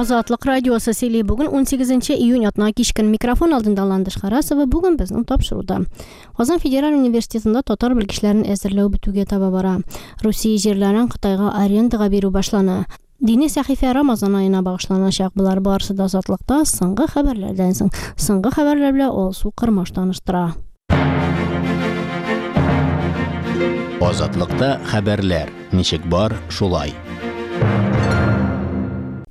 Азатлык радиосы сөйли. Бүген 18 июнь атна кичкен микрофон алдында Ландыш Харасова. Бүген безнең тапшыруда. Казан федераль университетында татар белгечләрен әзерләү бетүгә таба бара. Русия җирләрен Кытайга арендага бирү башлана. Дини сәхифә Рамазан аена багышланачак. Болар барысы да Азатлыкта соңгы хәбәрләрдән соң. Соңгы хәбәрләр белән Алсу Кырмаш таныштыра. Азатлыкта хәбәрләр ничек бар, шулай.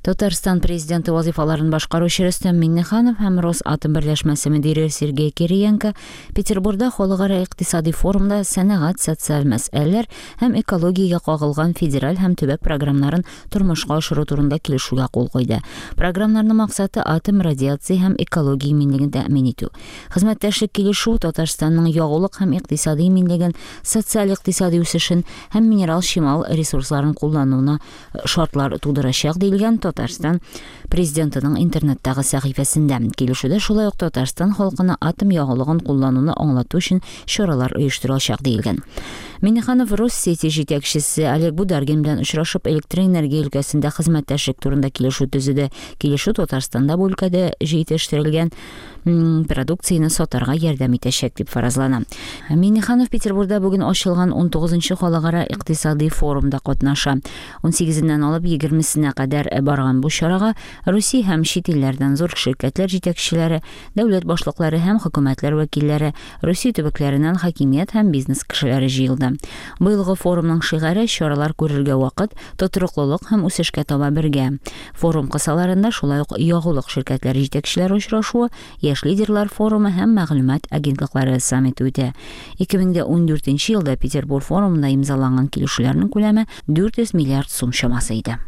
Татарстан президенты вазифаларын башкаручы Рөстәм Миңнеханов һәм Росатом берләшмәсе мөдире Сергей Кириенко Петербурда халыкара икътисади форумда сәнәгать, социаль мәсьәләләр һәм экологиягә кагылган федераль һәм төбәк програмнарын тормышка ашыру турында килешүгә кул куйды. Програмнарның максаты атом, радиация һәм экология иминлеген тәэмин итү. Хезмәттәшлек килешүе Татарстанның ягулык һәм икътисади иминлеген, социаль-икътисади үсешен һәм минерал чимал ресурсларын куллануына шартлар тудырачак, диелгән Татарстан Президентының интернеттагы сәхифәсендә. Килешүдә шулай ук Татарстан халкына атом ягулыгын куллануны аңлату өчен чаралар оештырылачак, диелгән. Миңнеханов Россети җитәкчесе Олег Бударгин белән очрашып, электроэнергия өлкәсендә хезмәттәшлек турында килешү төзеде. Килешү Татарстанда бу өлкәдә җитештерелгән продукцияне сатарга ярдәм итәчәк дип фаразлана. Миңнеханов Петербурда бүген ачылган 19 халыкара икътисади форумда катнаша. 18-ннән алып 20-сенә кадәр барган бу чарага Русия һәм чит илләрдән зур ширкәтләр җитәкчеләре, дәүләт башлыклары һәм хөкүмәтләр вәкилләре, Русия төбәкләреннән хакимият һәм бизнес кешеләре җыелды. Быелгы форумның шигаре Чаралар күрергә вакыт, тотрыклылык һәм үсешкә таба бергә. Форум кысаларында шулай ук ягулык ширкәтләре җитәкчеләре очрашуы, Яшь лидерлар форумы һәм мәгълүмат агентлыклары саммиты үтә. 2014 елда Петербур форумында имзаланган килешүләрнең күләме 400 миллиард сум чамасы иде.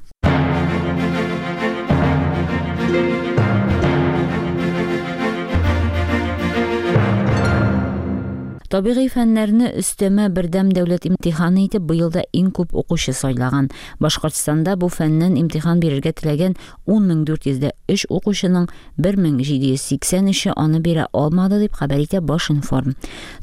Табигый фәннәрне өстәмә бердәм дәүләт имтиханы итеп быел да иң күп укучы сайлаган. Башкортстанда бу фәннән имтихан бирергә теләгән 10403 укучының 1783-е аны бирә алмады, дип хәбәр итә Башинформ.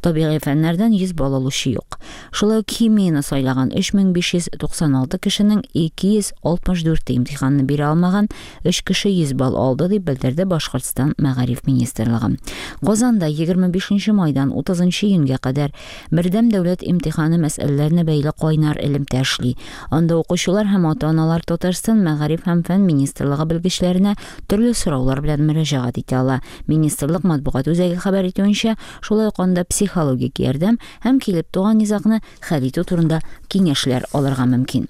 Табигый фәннәрдән 100 балл алучы юк. Шулай ук химияне сайлаган 3596 кешенең 264-е имтиханны бирә алмаган, 3 кеше 100 балл алды, дип белдерде Башкортстан Мәгариф министрлыгы. Казанда 25 майдан 30 июньгә кадәр Бердәм дәүләт имтиханы мәсьәләләренә бәйле кайнар элемтә эшли. Анда укучылар һәм ата-аналар Татарстан Мәгариф һәм фән министрлыгы белгечләренә төрле сораулар белән мөрәҗәгать итә ала. Министрлык матбугат үзәге хәбәр итүенчә, шулай ук анда психологик ярдәм һәм килеп туган низагны хәл итү турында киңәшләр алырга мөмкин.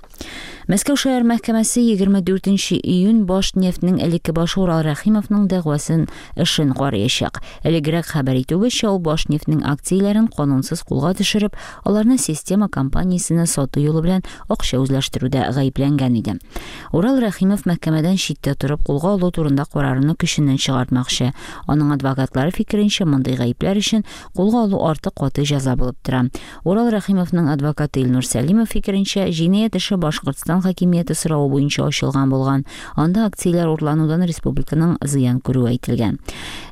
Мәскәү шәһәр мәхкәмәсе 24 нче июнь Башнефтьнең элекке башы Урал Рәхимовның дәгъвасын эшен карыячак. Элегрәк хәбәр итүебезчә, ул Башнефтьнең акцияләрен канунсыз кулга төшереп, аларны Система компаниясенә сату юлы белән акча үзләштерүдә гаепләнгән иде. Урал Рәхимов мәхкәмәдән читтә торып кулга алу турында карарны көченнән чыгартмакчы. Аның адвокатлары фикеренчә, мондый гаепләр өчен кулга алу артык каты җәза булып тора. Урал Рәхимовның адвокаты Илнур Сәлимов фикеренчә, җинаять эше Башкортстан хакимияте соравы буенча ачылган булган. Анда акцияләр урланудан республиканың зыян күрүе әйтелгән.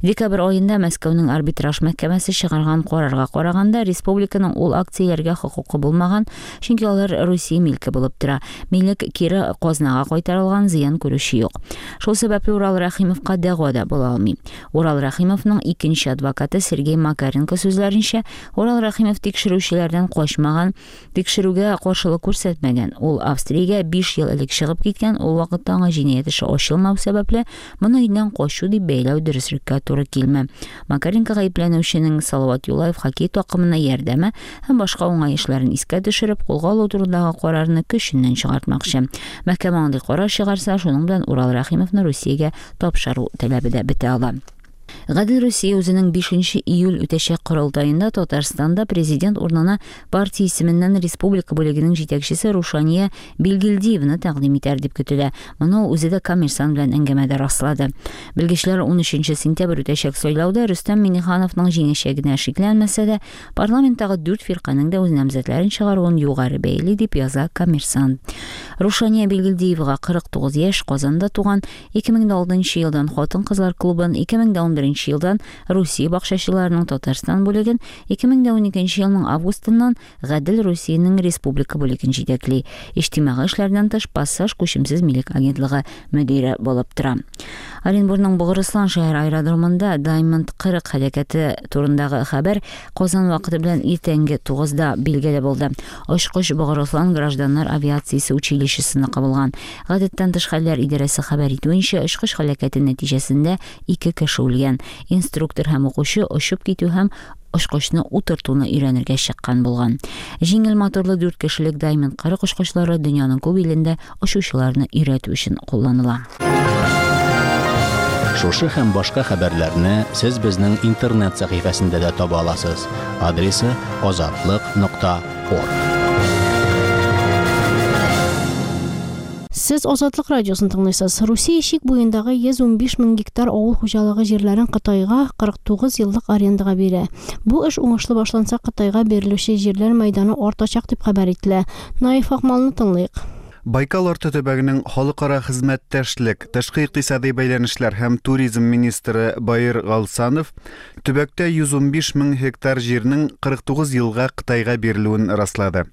Декабрь аенда Мәскәүнең арбитраж мәхкәмәсе чыгарган карарга караганда, республиканың ул акцияләргә хокукы булмаган, чөнки алар Русия милке булып тора. Милек кире казнага кайтарылган, зыян күрүче юк. Шул сәбәпле Урал Рәхимовка дәгъва да була алмый. Урал Рәхимовның икенче адвокаты Сергей Макаренко сүзләренчә, Урал Рәхимов тикшерүчеләрдән качмаган, тикшерүгә каршылык күрсәтмәгән. Ул Австриягә 5 ел элек чыгып киткән, ул вакытта аңа җинаять эше ачылмау сәбәпле, моны илдән качу дип бәяләү дөреслеккә туры килми. Макаренко гаепләнүченең Салават Юлаев хоккей такымына ярдәме һәм башка уңай эшләрен искә төшереп, кулга алу турындагы карарны көченнән чыгартмакчы. Мәхкәмә андый карар чыгарса, шуның белән Урал Рәхимовны Русиягә тапшыру таләбе дә бетә ала. Гадел Русия үзенең 5 июль үтәчәк корылтаенда Татарстанда президент урынына партия исеменнән республика бүлегенең җитәкчесе Рушания Билгилдиеваны тәкъдим итәр дип көтелә. Моны ул үзе дә Коммерсант белән әңгәмәдә раслады. Белгечләр 13 сентябрь үтәчәк сайлауда Рөстәм Миңнехановның җиңәчәгенә шикләнмәсә дә, парламенттагы дүрт фирканең дә үз намзәтләрен чыгаруын югары бәяли, дип яза Коммерсант. Рушания Билгилдиевага 49 яшь, Казанда туган, 2006 елдан хатын-кызлар клубын, 2011 2011 елдан Русия бакчачыларының Татарстан бүлеген, 2012 елның августыннан Гадел Русиянең республика бүлеген җитәкли. Иҗтимагый эшләрдән тыш Пассаж күчемсез милек агентлыгы мөдире булып тора. Оренбурның Богырыслан шәһәр аэродромында Diamond 40 һәлакәте турындагы хәбәр Казан вакыты белән иртәнге 9-да билгеле булды. Очкыч Богырыслан гражданнар авиациясе училищесыныкы булган. Гадәттән тыш хәлләр идарәсе хәбәр итүенчә, очкыч һәлакәте нәтиҗәсендә ике кеше үлгән. Инструктор һәм укучы очып китү һәм очкычны утыртуны өйрәнергә чыккан булган. Җиңел моторлы дүрт кешелек Diamond 40 очкычлары дөньяның күп илендә очучыларны өйрәтү өчен кулланыла. Шушы һәм башка хәбәрләрне сез безнең интернет сәхифәсендә дә таба аласыз. Адресы азатлык.орг. Сез Азатлык радиосын тыңлыйсыз. Русия чик буендагы 115 мең гектар авыл хуҗалыгы җирләрен Кытайга 49 еллык арендага бирә. Бу эш уңышлы башланса, Кытайга бирелүче җирләр мәйданы артачак дип хәбәр ителә. Наиф Акмалны тыңлыйк. Байкал арты төбәгенең халыкара хезмәттәшлек, тышкы икътисадый бәйләнешләр һәм туризм министры Баир Галсанов төбәктә 115 мең гектар җирнең 49 елга Кытайга бирелүен раслады.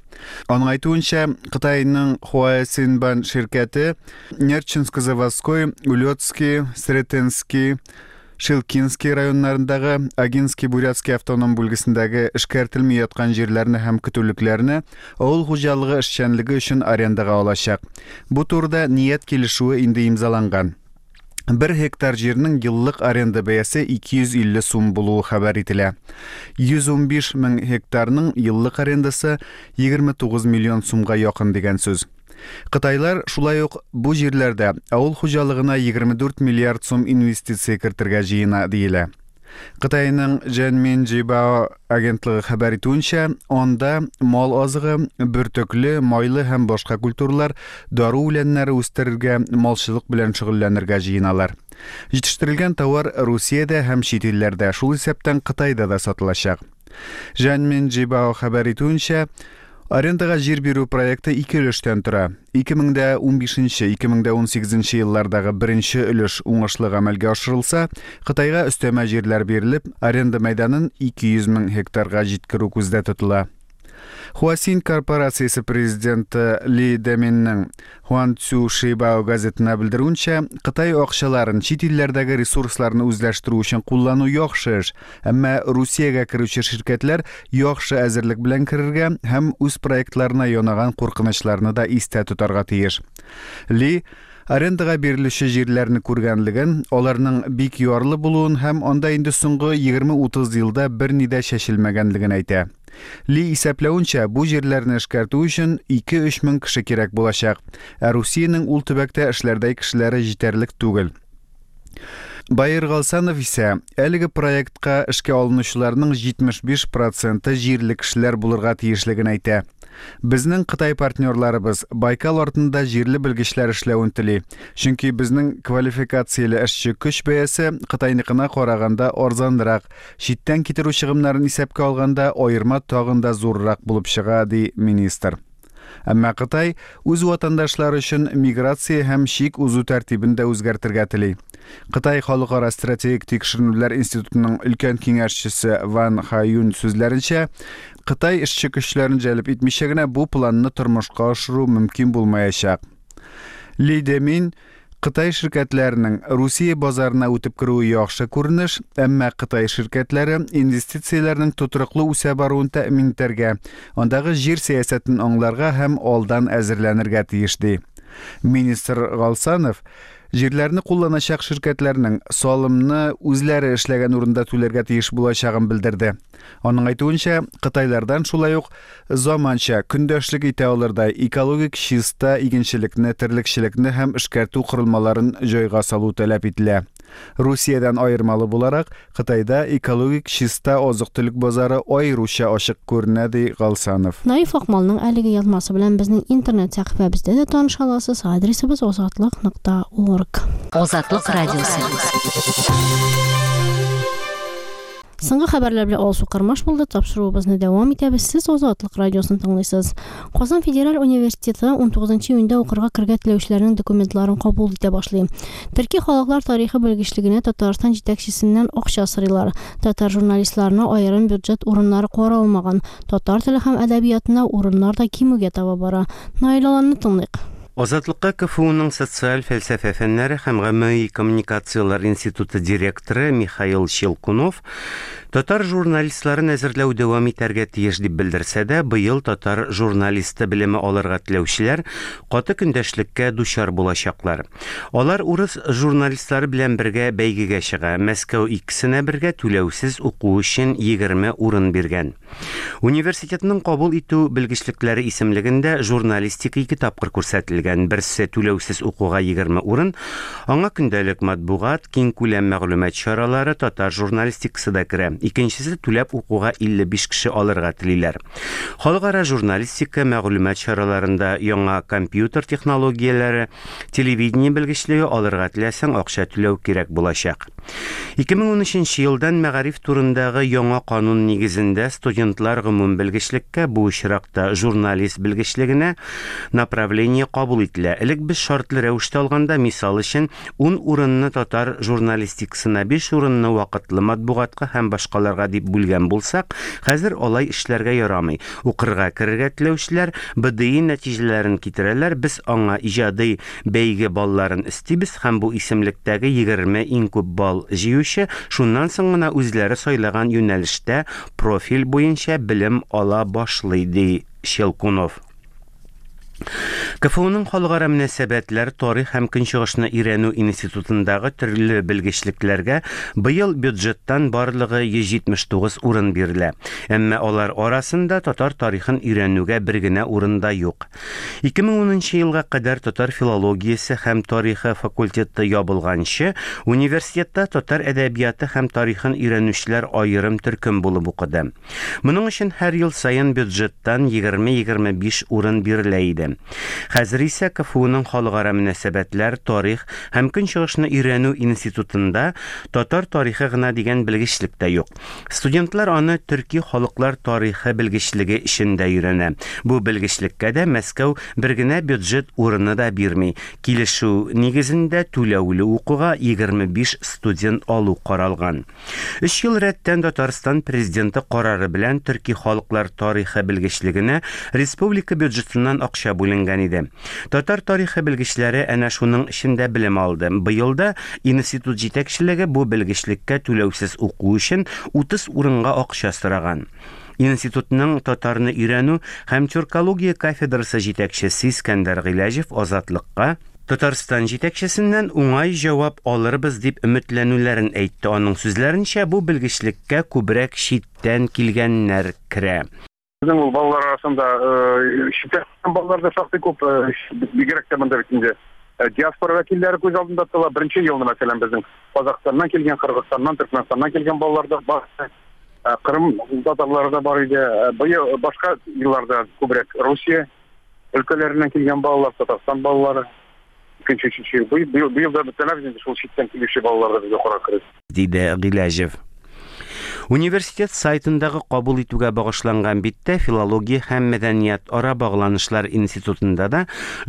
Аның әйтүенчә, Кытайның Хуаэсинбан ширкәте Нерчинско-Заводской, Улетский, Сретенский, Шилкинский районнарындагы Агинский-Бурятский автоном бүлгесендәге эшкәртелми яткан җирләрне һәм көтүлекләрне авыл хуҗалыгы эшчәнлеге өчен арендага алачак. Бу турыда ният килешүе инде имзаланган. Бер гектар җирнең еллык аренда бәясе 250 сум булуы хәбәр ителә. 115 мең гектарның еллык арендасы 29 миллион сумга якын дигән сүз. Кытайлар шулай ук бу җирләрдә авыл хуҗалыгына 24 миллиард сум инвестиция кертергә җыена диелә. Кытайның Женмин Жибао агентлыгы хәбәр итүенчә, анда мал азыгы, бөртекле, майлы һәм башка культуралар, дару үләннәре үстерергә, малчылык белән шөгыльләнергә җыеналар. Җитештерелгән товар Русиядә һәм чит илләрдә, шул исәптән Кытайда да сатылачак. Женмин Жибао хәбәр итүенчә, арендага җир бирү проекты ике өлештән тора. 2015-2018 еллардагы беренче өлеш уңышлы гамәлгә ашырылса, Кытайга өстәмә җирләр бирелеп, аренда мәйданын 200 мең гектарга җиткерү күздә тотыла. Хуасин корпорациясе президенты Ли Деминның Хуанцю Шибао газетына белдерүенчә, Кытай акчаларын чит илләрдәге ресурсларны үзләштерү өчен куллану яхшы эш, әмма Русиягә керүче ширкәтләр яхшы әзерлек белән керергә һәм үз проектларына янаган куркынычларны да истә тотарга тиеш. Ли арендага бирелүче җирләрне күргәнлеген, аларның бик ярлы булуын һәм анда инде соңгы 20-30 елда берни дә чәчелмәгәнлеген әйтә. Ли исәпләвенчә, бу җирләрне эшкәртү өчен 2-3 мең кеше кирәк булачак, ә Русиянең ул төбәктә эшләрдәй кешеләре җитәрлек түгел. Баир Галсанов исә әлеге проектка эшкә алынучыларның 75 проценты җирле кешеләр булырга тиешлеген әйтә. Безнең Кытай партнерларыбыз Байкал артында җирле белгечләр эшләвен тели. Чөнки безнең квалификацияле эшче көч бәясе Кытайныкына караганда арзанрак, Читтән китерү чыгымнарын исәпкә алганда, аерма тагын да зуррак булып чыга, ди министр. Әмма Кытай үз ватандашлары өчен миграция һәм чик узу тәртибен дә үзгәртергә тели. Кытай халыкара стратегик тикшеренүләр институтының өлкән киңәшчесе Ван Хаюн сүзләренчә, Кытай эшче көчләрен җәлеп итмичә генә бу планны тормышка ашыру мөмкин булмаячак. Ли Демин Кытай ширкәтләренең Русия базарына үтеп керүе яхшы күренеш, әмма Кытай ширкәтләре инвестицияләрнең тотрыклы үсә баруын тәэмин итәргә, андагы җир сәясәтен аңларга һәм алдан әзерләнергә тиеш, ди. Министр Галсанов җирләрне кулланачак ширкәтләрнең салымны үзләре эшләгән урында түләргә тиеш булачагын белдерде. Аның әйтүенчә, кытайлардан шулай ук заманча, көндәшлек итә алырдай экологик чиста игенчелекне, терлекчелекне һәм эшкәртү корылмаларын җайга салу таләп ителә. Русиядән аермалы буларак, Кытайда экологик чиста азык-төлек базары аеруча ачык күренә, ди Галсанов. Наиф Акмалның әлеге язмасы белән безнең интернет сәхифәбездә дә таныша аласыз, адресыбыз азатлык нокта орг. Азатлык радиосы. Соңгы хәбәрләр белән Алсу Кырмаш булды. Тапшыруыбызны дәвам итәбез. Сез Азатлык радиосын тыңлыйсыз. Казан федераль университеты 19 июньдә укырга керергә теләүчеләрнең документларын кабул итә башлый. Төрки халыклар тарихы белгечлегенә Татарстан җитәкчесеннән акча сорыйлар. Татар журналистларына аерым бюджет урыннары каралмаган. Татар теле һәм әдәбиятына урыннар да кимүгә таба бара. Наил Аланны тыңлыйк. Азатлыкка КФУның социаль фәлсәфә фәннәре һәм гомуми коммуникацияләр институты директоры Михаил Щелкунов татар журналистларын әзерләү дәвам итәргә тиеш дип белдерсә дә, быел татар журналисты белеме алырга теләүчеләр каты көндәшлеккә дучар булачаклар. Алар урыс журналистлары белән бергә бәйгегә чыга. Мәскәү икесенә бергә түләүсез уку өчен 20 урын биргән. Университетның кабул итү белгечлекләре исемлегендә журналистика ике тапкыр күрсәтелгән. Берсе түләүсез укуга 20 урын, аңа көндәлек матбугат, киңкүләм мәгълүмат чаралары, татар журналистикасы да керә. Икенчесе түләп укуга 55 кеше алырга телиләр. Халыкара журналистика, мәгълүмат чараларында яңа компьютер технологияләре, телевидение белгечлеге алырга теләсәң, акча түләү кирәк булачак. 2013 елдан мәгариф турындагы яңа канун нигезендә студентлар гомум белгечлеккә, бу очракта журналист белгечлегенә направление кабул ителә. Элек без шартлы рәвештә алганда, мисал өчен, 10 урынны татар журналистикасына, 5 урынны вакытлы матбугатка һәм башкаларга дип бүлгән булсак, хәзер алай эшләргә ярамый. Укырга керергә теләүчеләр БДИ нәтиҗәләрен китерәләр, без аңа иҗади бәйге балларын өстибез һәм бу исемлектәге 20 иң күп балл җыючы шуннан соң гына үзләре сайлаган юнәлештә профиль буенча белем ала башлый, ди Щелкунов. КФУның халыкара мөнәсәбәтләр, тарих һәм көнчыгышны өйрәнү институтындагы төрле белгечлекләргә быел бюджеттан барлыгы 179 урын бирелә. Әмма алар арасында татар тарихын өйрәнүгә бер генә урын да юк. 2010 елга кадәр татар филологиясе һәм тарихы факультеты ябылганчы, университетта татар әдәбияты һәм тарихын өйрәнүчеләр аерым төркем булып укыды. Моның өчен һәр ел саен бюджеттан 20-25 урын бирелә иде. Хәзер исә КФУның халыкара мөнәсәбәтләр, тарих һәм көнчыгышны өйрәнү институтында татар тарихы гына дигән белгечлек тә юк. Студентлар аны төрки халыклар тарихы белгечлеге эчендә өйрәнә. Бу белгечлеккә дә Мәскәү бер генә бюджет урыны да бирми. Килешү нигезендә түләүле укуга 25 студент алу каралган. Өч ел рәттән Татарстан президенты карары белән төрки халыклар тарихы белгечлегенә республика бюджетыннан акча бүленгән иде. Татар тарихы белгечләре әнә шуның эчендә белем алды. Быел да институт җитәкчелеге бу белгечлеккә түләүсез уку өчен 30 урынга акча сораган. Институтның татарны өйрәнү һәм тюркология кафедрасы җитәкчесе Искәндәр Гыйләҗев Азатлыкка Татарстан җитәкчесеннән уңай җавап алырбыз дип өметләнүләрен әйтте. Аның сүзләренчә, бу белгечлеккә күбрәк читтән килгәннәр керә. Безнең ул балалар арасында читтән балалар да шактый күп, бигрәк тә монда бит инде диаспора вәкилләре күз алдында тотыла. Беренче елны, мәсәлән, безнең Казахстаннан килгән, Кыргызстаннан, Төркмәнстаннан килгән балалар да бар. Кырым татарлары да бар иде. Быел башка елларда күбрәк Русия өлкәләреннән килгән балалар, Татарстан балалары. Икенче, өченче ел. Быел, быел да бөтенләй инде шул читтән килүче балалар да безгә карап керә. Диде Гыйләҗев. Университет сайтындагы кабул итүгә багышланган биттә филология һәм мәдәният ара багланышлар институтында да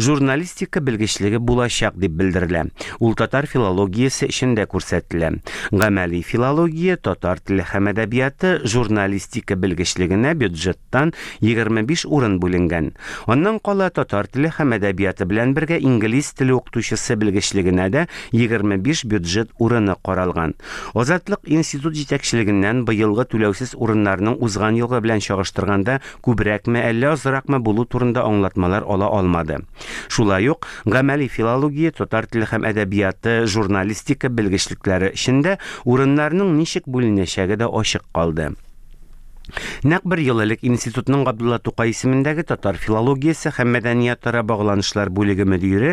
журналистика белгечлеге булачак дип белдерелә. Ул татар филологиясе эчендә күрсәтелә. Гамәли филология, татар теле һәм әдәбияты, журналистика белгечлегенә бюджеттан 25 урын бүленгән. Аннан кала татар теле һәм әдәбияты белән бергә инглиз теле укытучысы белгечлегенә дә 25 бюджет урыны каралган. Азатлык институт җитәкчелегеннән быелгы түләүсез урыннарның узган елгы белән чагыштырганда күбрәкме, әллә азракмы булу турында аңлатмалар ала алмады. Шулай ук гамәли филология, татар теле һәм әдәбияты, журналистика белгечлекләре эчендә урыннарның ничек бүленәчәге дә ачык калды. Нәкъ бер ел элек институтның Габдулла Тукай исемендәге татар филологиясе һәм мәдәниятара багланышлар бүлеге мөдире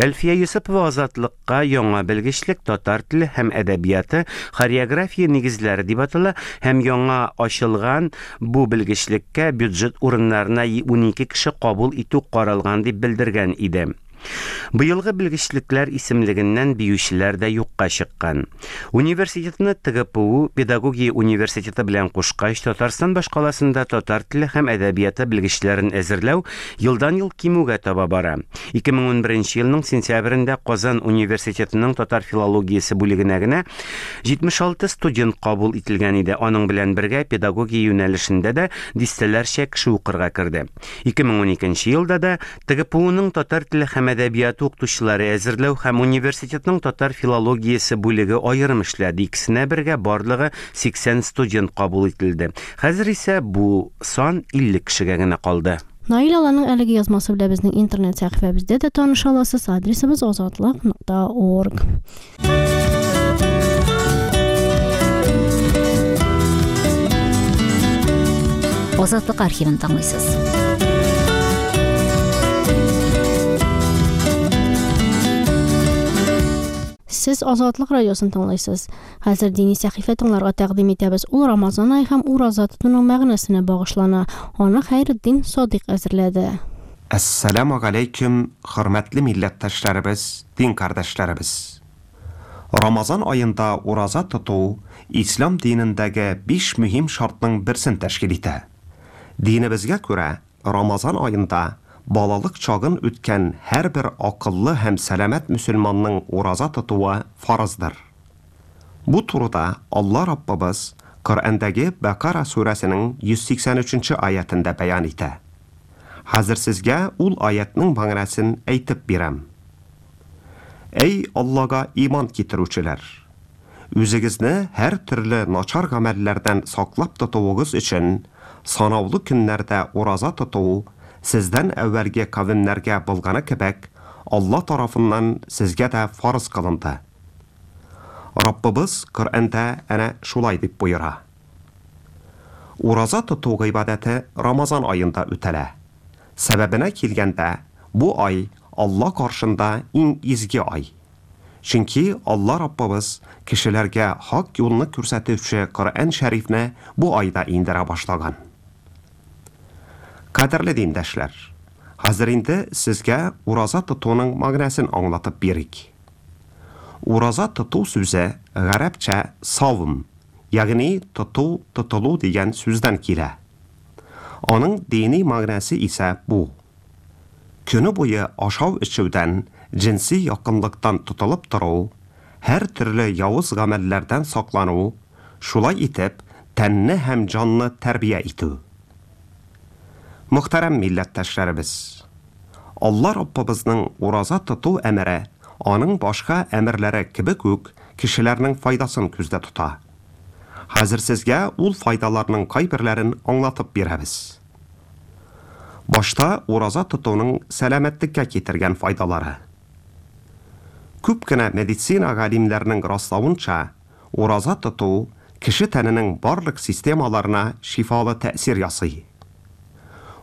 Әлфия Йосыпова Азатлыкка яңа белгечлек татар теле һәм әдәбияты, хореография нигезләре дип атала һәм яңа ачылган бу белгечлеккә бюджет урыннарына 12 кеше кабул итү каралган дип белдергән иде. Быелгы белгечлекләр исемлегеннән биючеләр дә юкка чыккан. Университетны ТГПУ педагогия университеты белән кушкач, Татарстан башкаласында татар теле һәм әдәбияты белгечләрен әзерләү елдан-ел кимүгә таба бара. 2011 елның сентябрендә Казан университетының татар филологиясе бүлегенә генә 76 студент кабул ителгән иде. Аның белән бергә педагогия юнәлешендә дә дистәләрчә кеше укырга керде. 2012 елда да ТГПУның татар теле һәм әдәбияты укытучылары әзерләү һәм университетның татар филологиясе бүлеге аерым эшләде. Икесенә бергә барлыгы 80 студент кабул ителде. Хәзер исә бу сан 50 кешегә генә калды. Наил Аланның әлеге язмасы белән безнең интернет сәхифәбездә дә таныша аласыз. Адресыбыз азатлык.орг. Азатлык архивын тыңлыйсыз. Сез Азатлык радиосын тыңлыйсыз. Хәзер дини сәхифә тыңларга тәкъдим итәбез. Ул Рамазан ае һәм ураза тотуның мәгънәсенә багышлана. Аны Хәйретдин Садыйк әзерләде. Әссәламү галәйкүм, хөрмәтле милләттәшләребез, дин кардәшләребез! Рамазан аенда ураза тоту ислам динендәге биш мөһим шартның берсен тәшкил итә. Динебезгә күрә, Рамазан аенда балалык чагын үткән һәрбер акыллы һәм сәламәт мөселманның ураза тотуы фарыздыр. Бу турыда Алла Раббыбыз Коръәндәге Бәкара сүрәсенең 183 нче аятендә бәян итә. Хәзер сезгә ул аятьнең мәгънәсен әйтеп бирәм. Әй Аллага иман китерүчеләр! Үзегезне һәртөрле начар гамәлләрдән саклап тотуыгыз өчен санаулы көннәрдә ураза тоту сездән әүвәлге кавемнәргә булганы кебек Алла тарафыннан сезгә дә фарыз кылынды. Раббыбыз Коръәндә әнә шулай дип боера. Ураза тоту гыйбадәте Рамазан аенда үтәлә. Сәбәбенә килгәндә, бу ай Алла каршында иң изге ай. Чөнки Алла Раббыбыз кешеләргә хак юлны күрсәтүче Коръән Шәрифне бу айда иңдерә башлаган. Кадерле диндәшләр! Хәзер инде сезгә ураза тотуның мәгънәсен аңлатып бирик. Ураза тоту сүзе гарәпчә савм, ягъни тоту, тотылу дигән сүздән килә. Аның дини мәгънәсе исә бу. Көне буе ашау-эчүдән, җенси якынлыктан тотылып тору, һәртөрле явыз гамәлләрдән саклану, шулай итеп, тәнне һәм җанны тәрбия итү. Мөхтәрәм милләттәшләребез! Алла Раббыбызның ураза тоту әмере аның башка әмерләре кебек үк кешеләрнең файдасын күздә тота. Хәзер сезгә ул файдаларның кайберләрен аңлатып бирәбез. Башта ураза тотуның сәламәтлеккә китергән файдалары. Күп кенә медицина галимнәренең раславынча, ураза тоту кеше тәненең барлык системаларына шифалы тәэсир ясый.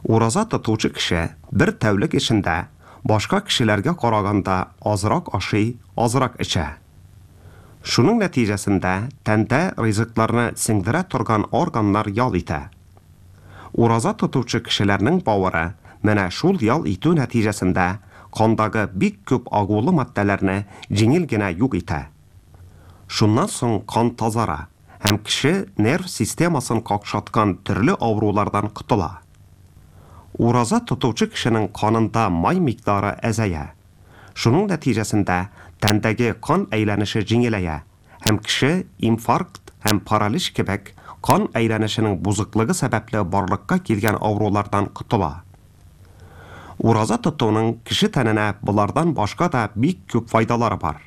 Ураза тотучы кеше бер тәүлек эчендә башка кешеләргә караганда азрак ашый, азрак эчә. Шуның нәтиҗәсендә тәндә ризыкларны сеңдерә торган органнар ял итә. Ураза тотучы кешеләрнең бавыры менә шул ял итү нәтиҗәсендә кандагы бик күп агулы матдәләрне җиңел генә юк итә. Шуннан соң кан тазара һәм кеше нерв системасын какшаткан төрле авырулардан котыла. Ураза тотучы кешенең канында май микъдары әзәя. Шуның нәтиҗәсендә тәндәге кан әйләнеше җиңеләя һәм кеше инфаркт һәм паралич кебек кан әйләнешенең бозыклыгы сәбәпле барлыкка килгән авырулардан котыла. Ураза тотуның кеше тәненә болардан башка да бик күп файдалары бар.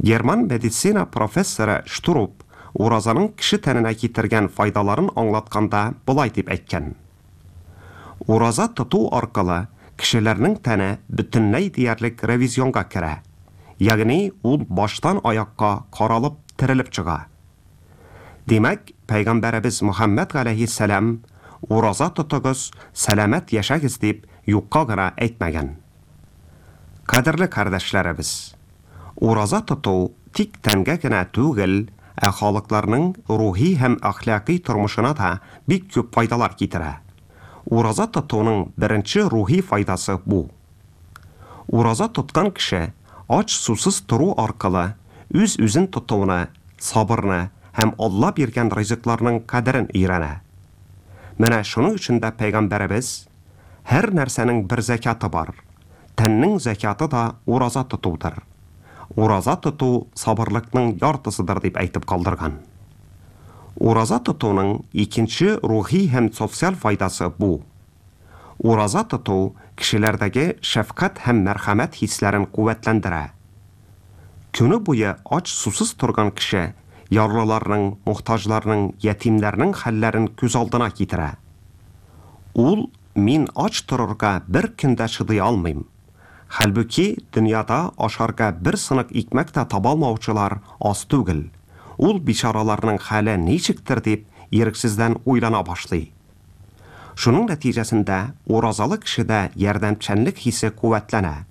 Герман медицина профессоры Штруп уразаның кеше тәненә китергән файдаларын аңлатканда болай дип әйткән. Ураза тоту аркылы кешеләрнең тәне бөтенләй диярлек ревизионга керә, ягъни ул баштан аякка каралып, терелеп чыга. Димәк, пәйгамбәребез Мөхәммәд галәйһиссәлам, Ураза тотыгыз, сәламәт яшәгез дип юкка гына әйтмәгән. Кадерле кардәшләребез! Ураза тоту тик тәнгә генә түгел, ә халыкларның рухи һәм әхлакый тормышына да бик күп файдалар китерә. Ураза тотуның беренче рухи файдасы бу. Ураза тоткан кеше ач сусыз тору аркылы үз-үзен тотуны, сабырны һәм Алла биргән ризыкларның кадерен өйрәнә. Менә шуның өчен дә пәйгамбәребез, Һәр нәрсәнең бер зәкяты бар. Тәннең зәкяты да ураза тотудыр. Ураза тоту сабырлыкның яртысыдыр дип әйтеп калдырган. Ураза тотуның икенче рухи һәм социаль файдасы бу. Ураза тоту кешеләрдәге шәфкать һәм мәрхәмәт хисләрен куәтләндерә. Көне буе ач сусыз торган кеше ярлыларның, мохтаҗларның, ятимнәрнең хәлләрен күз алдына китерә. Ул мин ач торырга бер көн дә чыдый алмыйм. Хәлбуки дөньяда ашарга бер сынык икмәк тә таба алмаучылар аз түгел. Ул бичараларның хәле ничектер дип ирексездән уйлана башлый. Шуның нәтиҗәсендә уразалы кешедә ярдәмчәнлек хисе куәтләнә.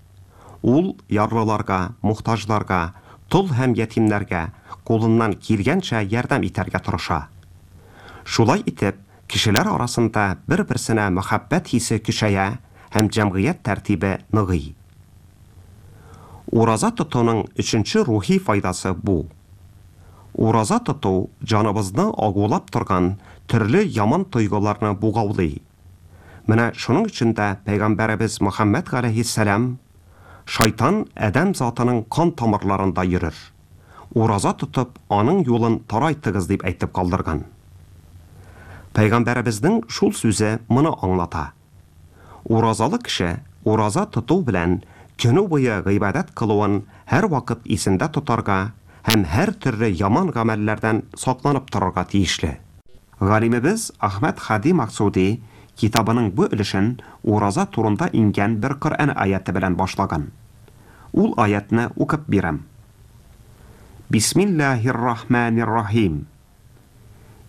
Ул ярлыларга, мохтаҗларга, тол һәм ятимнәргә кулыннан килгәнчә ярдәм итәргә тырыша. Шулай итеп, кешеләр арасында бер-берсенә мәхәббәт хисе көчәя һәм җәмгыять тәртибе ныгый. Ураза тотуның өченче рухи файдасы бу. Ураза тоту җаныбызны агулап торган төрле яман тойгыларны бугаулый. Менә шуның өчен дә пәйгамбәребез Мөхәммәд галәйһиссәлам, Шайтан адәм затының кан тамырларында йөрер. Ураза тотып, аның юлын тарайтыгыз дип әйтеп калдырган. Пәйгамбәребезнең шул сүзе моны аңлата. Уразалы кеше ураза тоту белән көне буе гыйбадәт кылуын һәрвакыт исендә тотарга һәм һәр төрле яман гамәлләрдән сакланып торырга тиешле. Галимебез Әхмәд Һади Максуди китабының бу өлешен ураза турында иңгән бер Коръән аяте белән башлаган. Ул аятны укып бирәм. Бисмиллаһир-рахманир-рахим.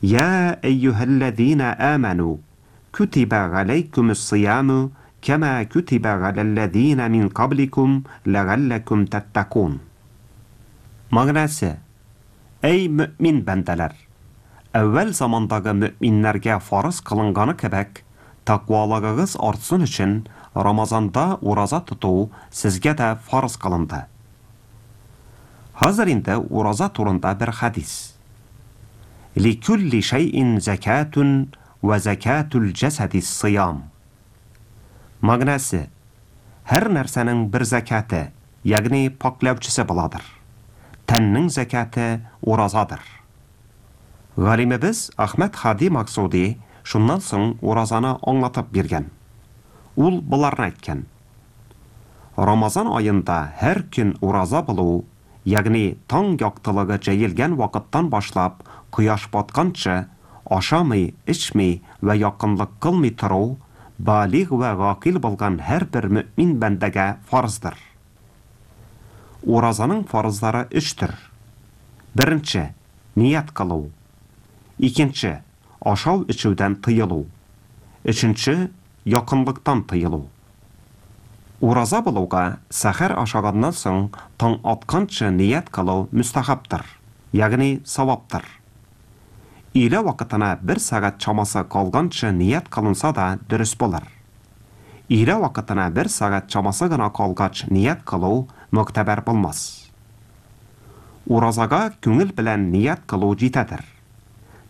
Я әйюһәлләзина аману, кутиба галәйкүмүс-сияму кәмә кутиба галәлләзина мин кабликум ләгалләкүм тәттакун. Мәгънәсе: Әй мөэмин бәндәләр! Әүвәл замандагы мөэминнәргә фарыз кылынганы кебек, тәкъвалыгыгыз артсын өчен Рамазанда ураза тоту сезгә дә фарыз кылынды. Хәзер инде ураза турында бер хәдис. Ликүлли шәйин зәкәтүн вә зәкәтүл җәсәдис сыям. Мәгънәсе, һәр нәрсәнең бер зәкяте, ягъни пакьләүчесе буладыр. Тәннең зәкяте уразадыр. Галимебез Әхмәд Һади Максуди шуннан соң уразаны аңлатып биргән. Ул боларны әйткән. Рамазан аенда һәр көн ураза булу, ягъни таң яктылыгы җәелгән вакыттан башлап кояш батканчы ашамый, эчми вә якынлык кылмый тору, балигъ вә гакыйль булган һәрбер мөэмин бәндәгә фарыздыр. Уразаның фарызлары өчтер. Беренче, ният кылу. Икенче, ашау-эчүдән тыелу. Өченче, якынлыктан тыелу. Ураза булуга сәхәр ашаганнан соң таң атканчы ният кылу мөстәхәбтер, ягъни саваптыр. Өйлә вакытына бер сәгать чамасы калганчы ният кылынса да дөрес булыр. Өйлә вакытына бер сәгать чамасы гына калгач ният кылу могтәбәр булмас. Уразага күңел белән ният кылу җитәдер.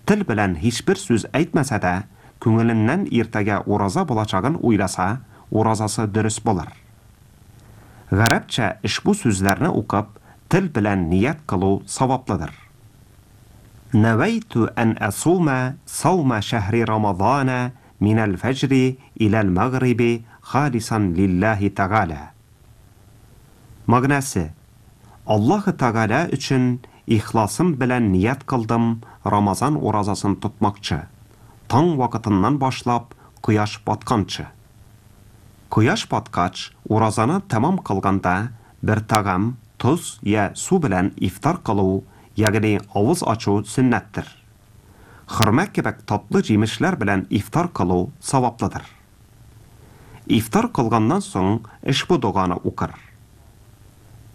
Тел белән һичбер сүз әйтмәсә дә, күңеленнән иртәгә ураза булачагын уйласа, уразасы дөрес булыр. Гарәпчә ошбу сүзләрне укып, тел белән ният кылу саваплыдыр. Нәвәйтү ән әсумә саума шәһри Рамазана минәл фәҗри иләл мәгъриби халисан лиллаһи тәгалә. Мәгънәсе, Аллаһы Тәгалә өчен ихласым белән ният кылдым Рамазан уразасын тотмакчы, таң вакытыннан башлап кояш батканчы. Кояш баткач, уразаны тәмам кылганда бер тәгам, тоз я су белән ифтар кылу, ягъни авыз ачу сөннәттер. Хөрмә кебек татлы җимешләр белән ифтар кылу саваплыдыр. Ифтар кылганнан соң ошбу доганы укыр.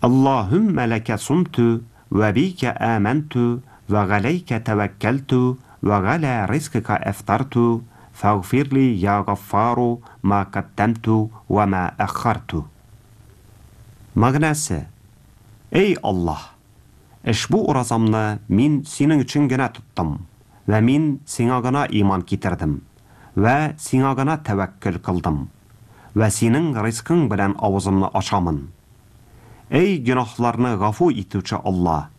Аллаһүммә ләкә сумту вә бикә аманту вә галәйкә тәвәккәлту вә галә ризкыка әфтарту фәгъфирли я гаффару ма каддәмту вә ма әххарту. Мәгънәсе: Эй Аллаһ, ошбу уразамны мин синең өчен генә тоттым вә мин сиңа гына иман китердем вә сиңа гына тәвәккөл кылдым вә синең ризкың белән авызымны ачамын. Эй гөнаһларны гафу итүче Алла,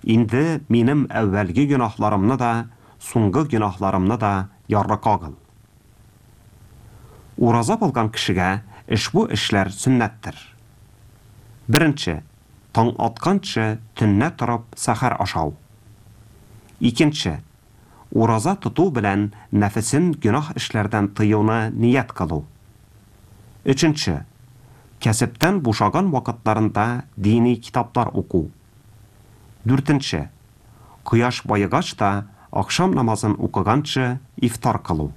инде минем әүвәлге гөнаһларымны да, соңгы гөнаһларымны да ярлыкагыл. Ураза булган кешегә ошбу эшләр сөннәттер. Беренче, таң атканчы төннә торып сәхәр ашау. Икенче, ураза тоту белән нәфесен гөнаһ эшләрдән тыюны ният кылу. Өченче, кәсептән бушаган вакытларында дини китаплар уку. Дүртенче, кояш баегач та ахшам намазын укыганчы ифтар кылу.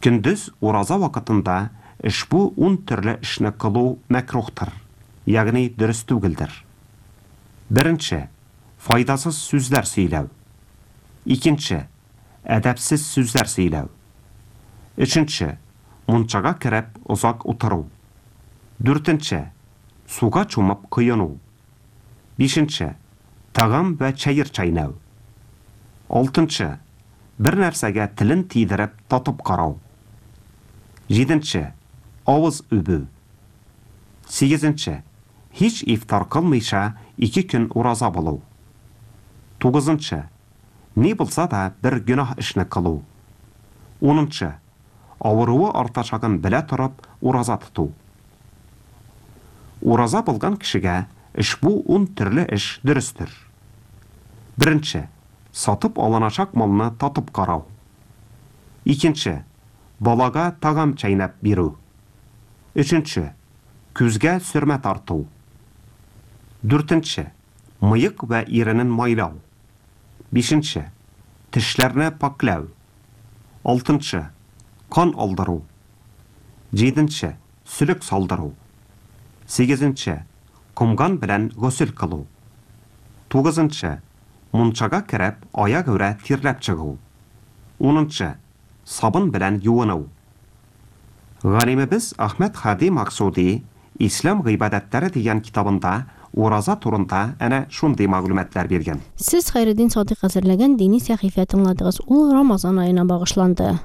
Көндез ураза вакытында ошбу 10 төрле эшне кылу мәкрухтыр, ягъни дөрес түгелдер. Беренче, файдасыз сүзләр сөйләү. Икенче, әдәпсез сүзләр сөйләү. Өченче, мунчага кереп озак утыру. Дүртенче, суга чумып коену. Бишенче, тагам вә чәер чәйнәү. Алтынчы, бер нәрсәгә телен тидереп татып карау. Җиденче, авыз үбү. Сигезенче, һич ифтар кылмыйча 2 көн ураза булу. Тугызынчы, ни булса да бер гөнаһ эшне кылу. Унынчы, авыруы артачагын белә торып ураза тоту. Ураза булган кешегә ошбу 10 төрле эш дөрестер. Беренче, сатып алыначак малны татып карау. Икенче, балага тагам чәйнәп бирү. Өченче, күзгә сөрмә тарту. Дүртенче, мыек вә иренен майлау. Бишенче, тешләрне паклау. Алтынчы, кан алдыру. Җиденче, сөлек салдыру. Сигезенче, комган белән госел кылу. Тугызынчы, мунчага кереп аягүрә тирләп чыгу. Унынчы, сабын белән юыну. Галимебез Ахмед Хади Максуди Ислам гыйбадәтләре дигән китабында ураза турында әнә шундый мәгълүматлар биргән. Сез Хәйретдин Садыйк әзерләгән дини сәхифә тыңладыгыз. Ул Рамазан аена багышланды.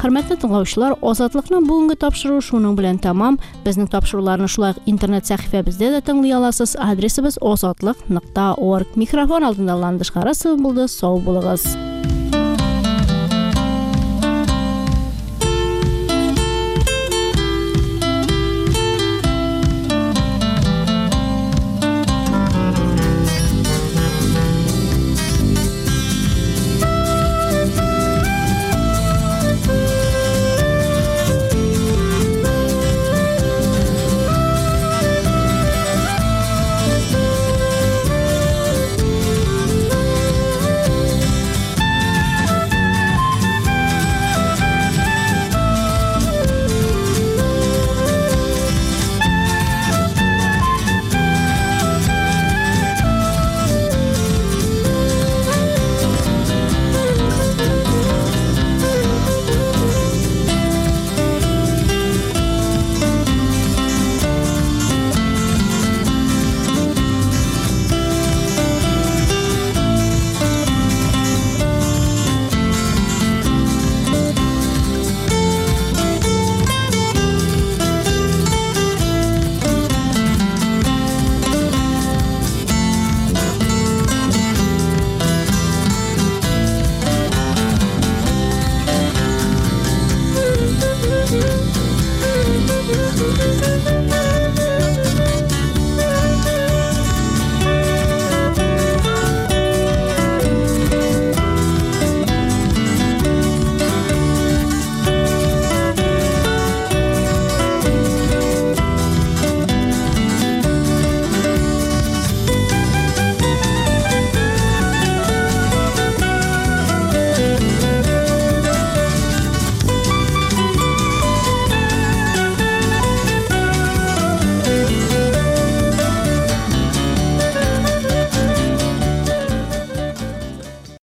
Хөрмәтле тыңлаучылар, Азатлыкның бүгенге тапшыруы шуның белән тәмам. Безнең тапшыруларны шулай ук интернет сәхифәбездә дә тыңлый аласыз. Адресыбыз озатлык.орг. Микрофон алдында Ландыш Харасова булды. Сау булыгыз.